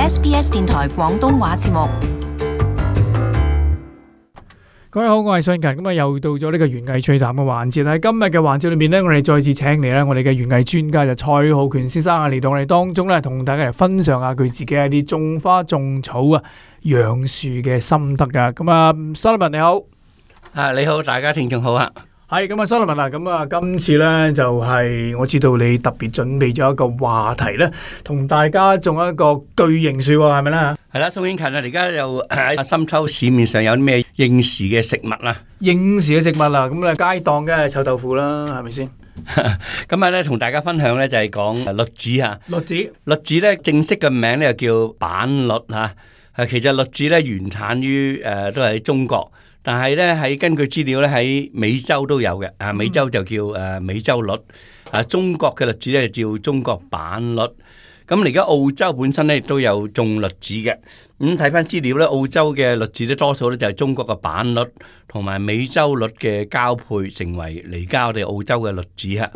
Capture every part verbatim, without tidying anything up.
S B S 電台廣東話節目。各位好，我係信勤，咁啊又到咗呢個園藝趣談嘅環節。喺今日嘅環節裏面呢，我哋再次請嚟咧我哋嘅園藝專家就蔡浩權先生啊嚟到我哋當中咧，同大家嚟分享下佢自己一啲種花種草啊養樹嘅心得噶。咁啊，Solomon你好，啊你好，大家聽眾好啊。係咁啊，Solomon啊，咁啊，今次咧就係、是、我知道你特別準備咗一個話題咧，同大家種一個巨型樹喎，係咪咧？係啦，宋英勤啊，而家又喺深秋市面上有啲咩應時嘅食物啊？應時嘅食物啊，咁啊街檔嘅臭豆腐啦，係咪先？今日咧同大家分享咧就係講栗子啊。栗子，栗子咧正式嘅名咧就叫板栗嚇。誒，其實栗子咧原產於誒、呃、都係喺中國。但係咧，喺根據資料咧，喺美洲都有嘅。啊，美洲就叫誒美洲栗。啊，中國嘅栗子咧就叫中國板栗。咁而家澳洲本身咧亦都有種栗子嘅。咁睇翻資料咧，澳洲嘅栗子咧多數咧就係中國嘅板栗同埋美洲栗嘅交配，成為嚟家我哋澳洲嘅栗子嚇。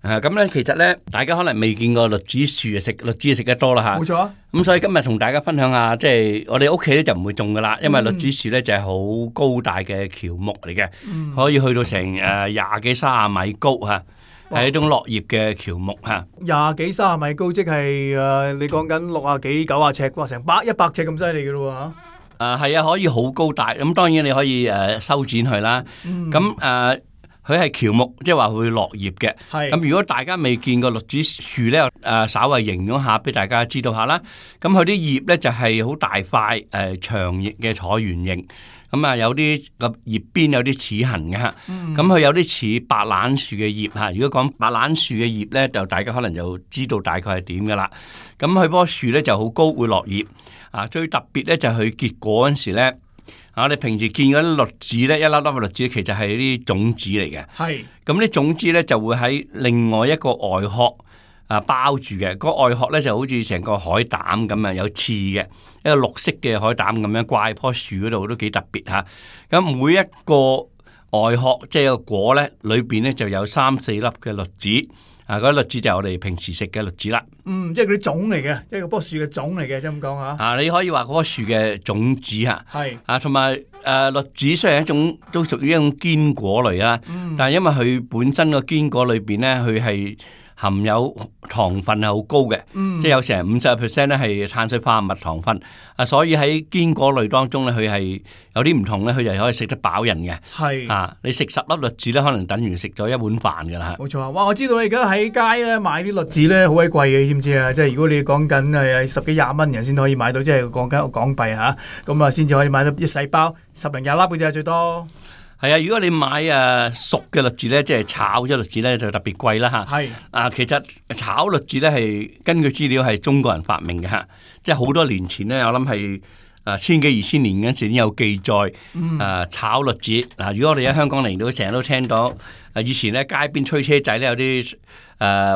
啊，咁咧其實咧，大家可能未見過栗子樹啊，食栗子食得多啦嚇。冇錯。咁所以今日同大家分享下，即係我哋屋企咧就唔會種噶啦，因為栗子樹咧就係好高大嘅喬木嚟嘅，嗯、可以去到成誒廿幾三十米高嚇，係一種落葉嘅喬木嚇。廿幾三十米高，即係誒、呃、你講緊六啊幾九啊尺，哇，成百一百尺咁犀利嘅咯喎嚇。誒係啊，可以好高大。咁當然你可以誒修剪佢啦。咁誒、嗯。佢係喬木，即係話會落葉嘅。咁如果大家未見過栗子樹咧，誒、呃、稍微形容下俾大家知道下啦。咁佢啲葉咧就係、是、好大塊誒、呃、長葉嘅橢圓形。咁啊有啲個葉邊有啲齒痕嘅嚇。咁佢、嗯、有啲似白蘭樹嘅葉嚇。如果講白蘭樹嘅葉咧，就大家可能就知道大概係點嘅啦。咁佢棵樹咧就好高，會落葉。啊，最特別咧就係佢結果嗰陣時咧。我哋平時見嗰啲栗子咧，一粒粒嘅栗子其實係啲種子嚟嘅。係。咁啲種子咧就會喺另外一個外殼啊包住嘅。個外殼咧就好似成個海膽咁啊，有刺嘅一個綠色嘅海膽咁樣掛喺棵樹嗰度，都幾特別嚇。咁每一個外殼即係個果咧，裏邊咧就有三四粒嘅栗子。啊！嗰啲栗子就係我哋平時食嘅栗子啦。嗯，即係嗰啲種嚟嘅，即係嗰棵樹嘅種嚟嘅，即係咁講嚇。啊，你可以話嗰棵樹嘅種子嚇。係是。啊，同埋誒栗子雖然係一種都屬於一種堅果類啦，嗯、但係因為佢本身個堅果裏邊咧，佢係含有糖分係好高嘅，嗯、即係有成五十 percent 咧係碳水化合物糖分。啊，所以喺堅果類當中咧，佢係有啲唔同咧，佢就可以食得飽人嘅。係是啊，你食十粒栗子咧，可能等於食咗一碗飯噶啦。冇錯啊！哇，我知道你而家喺街咧買啲栗子咧好鬼貴嘅，你知唔知啊？即係如果你講緊係十幾廿蚊人先可以買到，即係講緊港幣嚇，咁啊先至可以買到一細包十零廿粒嘅啫，最多。係啊，如果你買誒熟嘅栗子咧，即係炒咗栗子咧，就特別貴啦嚇。係是啊，其實炒栗子咧係根據資料係中國人發明嘅嚇，即係好多年前咧，我諗係誒千幾二千年嗰陣時已經有記載。誒、嗯啊、炒栗子嗱、啊，如果我哋喺香港嚟到，成日都聽到誒以前咧街邊推車仔咧有啲誒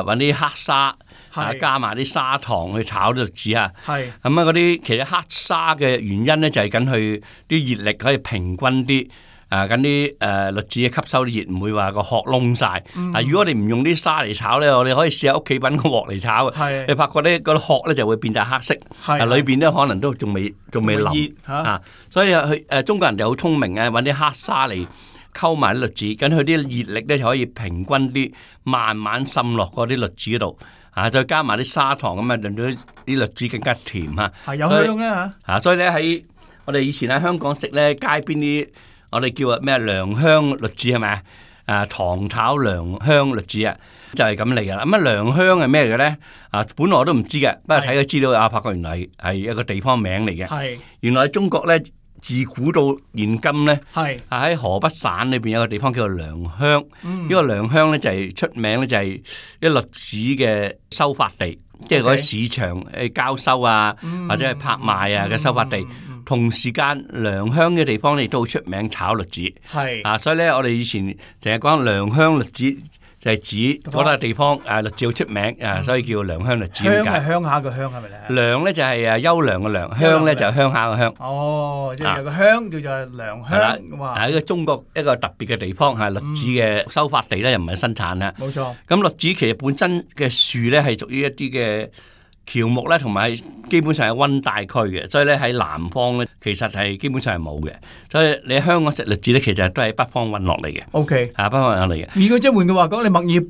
揾啲黑沙是啊加埋啲砂糖去炒栗子啊。係咁啊，嗰啲其實黑沙嘅原因咧就係緊佢啲熱力可以平均啲。啊，咁啲誒栗子吸收啲熱，唔會話個殼燶晒。嗯、啊，如果我哋唔用啲沙嚟炒咧，我哋可以試下屋企揾個鑊嚟炒。係是，你發覺咧個殼咧就會變曬黑色。係的，裏邊咧可能都仲未仲未腍啊。所以佢誒、呃、中國人就好聰明啊，揾啲黑沙嚟溝埋啲栗子，咁佢啲熱力咧就可以平均啲，慢慢滲落嗰啲栗子嗰度。啊，再加埋啲砂糖咁啊，令到啲栗子更加甜嚇。係有香咧嚇。啊，所以咧喺我哋以前喺香港食咧街邊啲。我哋叫啊咩良香栗子係咪啊？啊糖炒良香栗子啊，就係咁嚟噶啦。咁啊良香係咩嘅咧？啊本來我都唔知嘅，不過睇個資料啊，發覺原來係一個地方名嚟嘅。係原來中國咧自古到現今咧，係啊喺河北省裏邊有個地方叫做良鄉。呢個良鄉咧就係出名咧就係啲栗子嘅收發地，即係嗰啲市場誒交收啊，或者係拍賣啊嘅收發地。同時間良鄉嘅地方咧亦都好出名炒栗子，係啊，所以咧我哋以前成日講良鄉栗子就係指嗰笪地方誒栗子好出名誒，所以叫良鄉栗子。鄉係鄉下個鄉係咪咧？良咧就係誒優良嘅良，鄉咧就係鄉下嘅鄉。哦，即係有個鄉叫做良鄉。係啦，係一個中國一個特別嘅地方，係栗子嘅收發地咧，又唔係生產啦。冇錯。咁栗子其實本身嘅樹咧係屬於一啲嘅喬木咧，同埋基本上係溫帶區嘅，所以咧喺南方咧其實係基本上係冇嘅。所以你喺香港食栗子咧，其實都係北方運落嚟嘅。O K， 啊，北方運落嚟嘅。如果即係換句話講，你墨爾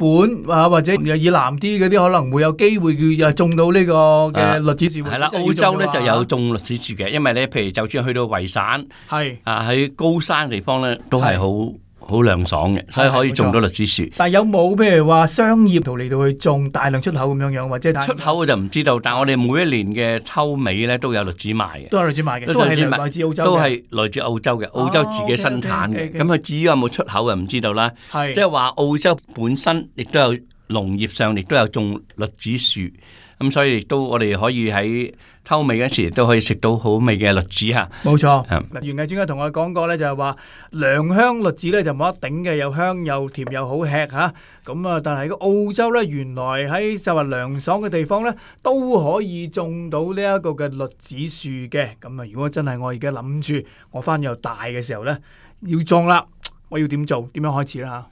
本啊或者又以南啲嗰啲，可能會有機會又種到呢個嘅栗子樹。係啦，澳洲咧就有種栗子樹嘅，因為咧譬如就算去到維省，係啊喺高山地方咧都係好好涼爽嘅，所以可以種到栗子樹。但係有冇譬如話商業圖嚟到去種大量出口咁樣樣，或者出口我就唔知道。但係我哋每一年嘅秋尾咧都有栗子賣嘅，都有栗子賣嘅，都係來自澳洲，都係來自澳洲嘅，澳洲自己生產嘅。咁佢至於有冇出口就唔知道啦。即係話澳洲本身亦都有農業上亦都有種栗子樹，咁所以亦都我哋可以喺偷味嗰時都可以食到好味嘅栗子嚇。冇錯。嗱，園藝專家同我講過咧，就係話良鄉栗子咧就冇得頂嘅，又香又甜又好吃嚇。咁啊，但係個澳洲咧，原來喺就話涼爽嘅地方咧，都可以種到呢一個嘅栗子樹嘅。咁啊，如果真係我而家諗住我翻又大嘅時候咧，要種啦，我要點做？點樣開始啦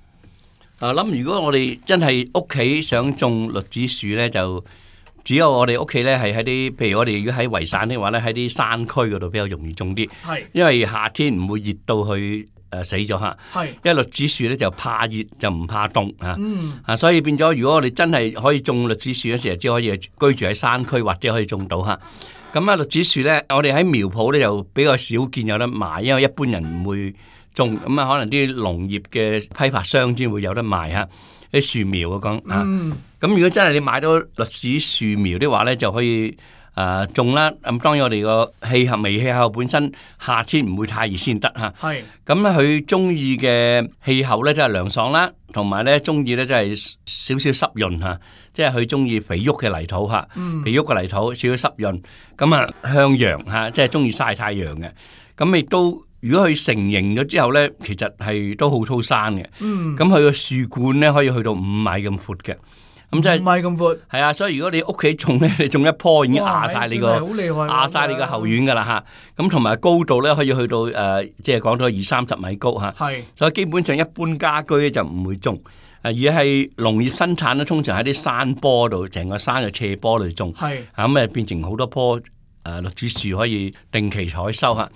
嚇？啊，諗如果我哋真係屋企想種栗子樹咧，就只有我哋屋企咧係喺啲，譬如我哋如果喺維省嘅話咧，喺啲山區嗰度比較容易種啲。係，因為夏天唔會熱到去誒死咗嚇。係，因為栗子樹咧就怕熱就唔怕凍嚇。嗯。啊，所以變咗，如果我哋真係可以種栗子樹嘅時候，只可以居住喺山區或者可以種到嚇。咁啊，栗子樹咧，我哋喺苗圃咧就比較少見有得賣，因為一般人唔會種。咁啊，可能啲農業嘅批發商先會有得賣嚇。啲樹苗我講啊，咁如果真係你買到栗子樹苗的話咧，就可以誒種啦。咁當然我哋個氣候微氣候本身夏天唔會太熱先得嚇。係。咁咧佢中意嘅氣候咧，即係涼爽啦，同埋咧中意咧即係少少濕潤嚇，即係佢中意肥沃嘅泥土嚇，肥沃嘅泥土少少濕潤，咁啊向陽嚇，即係中意曬太陽嘅。咁亦都。如果佢成形咗之後咧，其實係都好粗生嘅。嗯。咁佢個樹冠咧可以去到五米咁闊嘅。咁即係五米咁闊。係啊，所以如果你屋企種咧，你種一棵已經壓晒你個壓晒你個後院㗎啦嚇。咁同埋高度咧可以去到誒，即係講到二三十米高嚇。係。所以基本上一般家居咧就唔會種。誒而係農業生產咧，通常喺啲山坡度，成個山嘅斜坡度種。係。咁誒變成好多棵誒栗子樹可以定期採收嚇。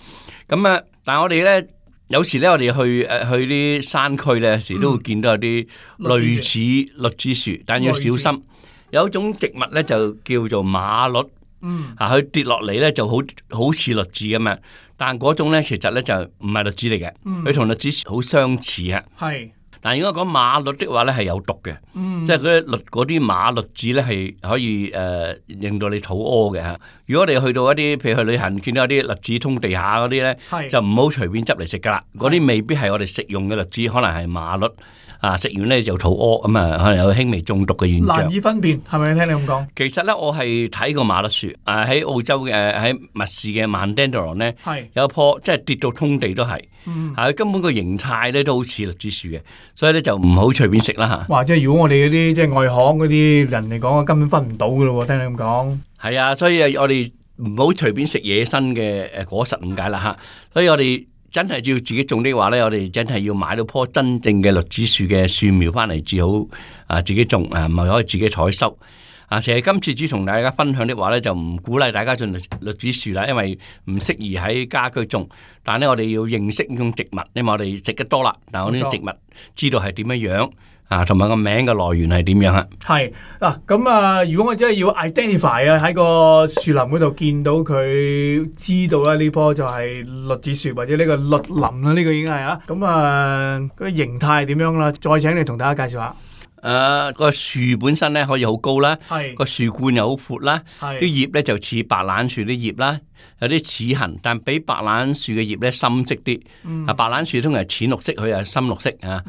咁啊〜但係我哋咧，有時咧，我哋去誒去啲山區咧，有時都會見到有啲類似栗子樹，但要小心。有一種植物咧就叫做馬栗，嗯，啊，佢跌落嚟咧就好好似栗子咁樣，但嗰種咧其實咧就唔係栗子嚟嘅，佢同栗子樹好相似啊。係。但如果講馬栗的話咧係有毒嘅，嗯、即係嗰啲栗嗰啲馬栗子咧係可以誒、呃、令到你肚屙嘅嚇。如果你去到一啲譬如去旅行見到有啲栗子通地下嗰啲咧，是就唔好隨便執嚟食噶啦。嗰啲未必係我哋食用嘅栗子，可能係馬栗啊，食完咧就肚屙咁啊，可能有輕微中毒嘅現象。難以分辨係咪？聽你咁講。其實咧，我係睇過馬栗樹啊，喺澳洲嘅喺密市嘅曼丹德朗咧，係有一棵即係跌到通地都係。嗯，係根本個形態咧都好似栗子樹嘅，所以咧就唔好隨便食啦嚇。哇！即係如果我哋嗰啲即係外行嗰啲人嚟講，根本分唔到噶咯喎，聽你咁講。係啊，所以我哋唔好隨便食野生嘅誒果實咁解啦嚇。所以我哋真係要自己種的話咧，我哋真係要買到棵真正嘅栗子樹嘅樹苗翻嚟至好啊，自己種啊，唔係可以自己採收。啊，其實今次只同大家分享的話咧，就唔鼓勵大家種栗子樹啦，因為唔適宜喺家居種。但係咧，我哋要認識呢種植物，因為我哋食得多啦。但係我呢種植物知道係點樣樣啊，同埋個名嘅來源係點樣啊？係嗱，咁啊，如果我真係要 identify 啊，喺個樹林嗰度見到佢，知道啦呢棵就係栗子樹或者呢個栗林啦，呢個已經係啊。咁啊，個形態係點樣啦？再請你同大家介紹下。誒個樹本身咧可以好高啦，個樹冠又好闊啦，啲葉咧就似白蘭樹啲葉啦，有啲齒痕，但比白蘭樹嘅葉咧深色啲。啊，白蘭樹通常係淺綠色，佢係深綠色啊。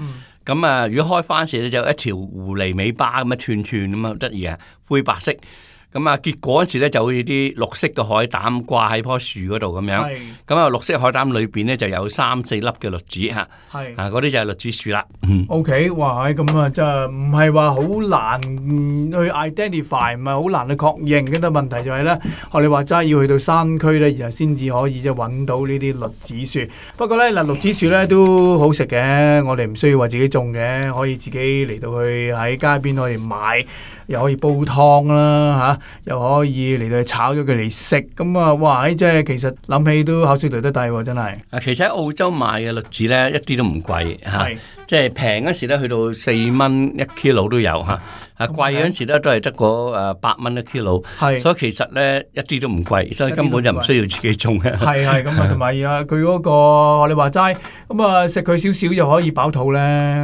咁啊，如果開花時咧就一條狐狸尾巴咁樣串串咁啊，得意啊，灰白色。咁啊，結果嗰時咧就好似啲綠色嘅海膽掛喺棵樹嗰度咁樣。咁啊，綠色海膽裏邊咧就有三四粒嘅栗子嚇。係啊，嗰啲就係栗子樹啦。O K， 哇！咁啊，真係唔係話好難去 identify，唔係好難去確認嘅。但問題就係咧，學你話齋要去到山區咧，然後先至可以即係揾到呢啲栗子樹。不過咧，嗱，栗子樹咧都好食嘅，我哋唔需要話自己種嘅，可以自己嚟到去喺街邊可以買。又可以煲湯啦嚇，又可以嚟到炒咗佢嚟食。咁啊，哇！即係其實諗起都口水流得低喎，真係。啊，其實喺澳洲買嘅栗子咧一啲都唔貴嚇，即係平嗰時咧去到四蚊一 kilo 都有嚇。啊，貴嗰陣時咧都係得個誒八蚊一 kilo，所以其實咧一啲都唔貴，所以根本就唔需要自己種嘅。係係咁啊，同埋啊，佢嗰個你話齋咁啊，食佢少少就可以飽肚咧，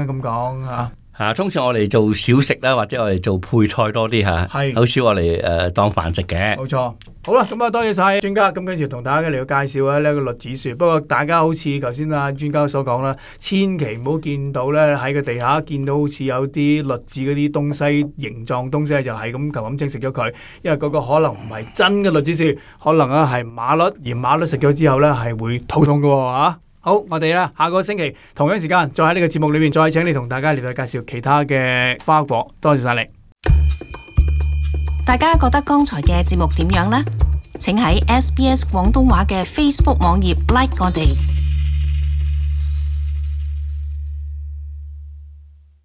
咁講嚇。嚇，通常我哋做小食啦，或者我哋做配菜多啲嚇，好少我哋誒當飯食嘅。冇錯。好啦，咁啊多謝晒專家，咁跟住同大家嚟到介紹咧呢個栗子樹。不過大家好似頭先啊專家所講啦，千祈唔好見到咧喺個地下見到好似有啲栗子嗰啲東西形狀東西就係咁求咁精食咗佢，因為嗰個可能唔係真嘅栗子樹，可能啊係馬栗，而馬栗食咗之後咧係會肚痛嘅喎嚇。好，我哋咧下個星期同樣時間再喺呢個節目裏面再請你同大家嚟到介紹其他嘅花果。多謝晒你。大家覺得剛才嘅節目點樣呢？請喺 S B S 廣東話嘅 Facebook 網頁 like 我哋。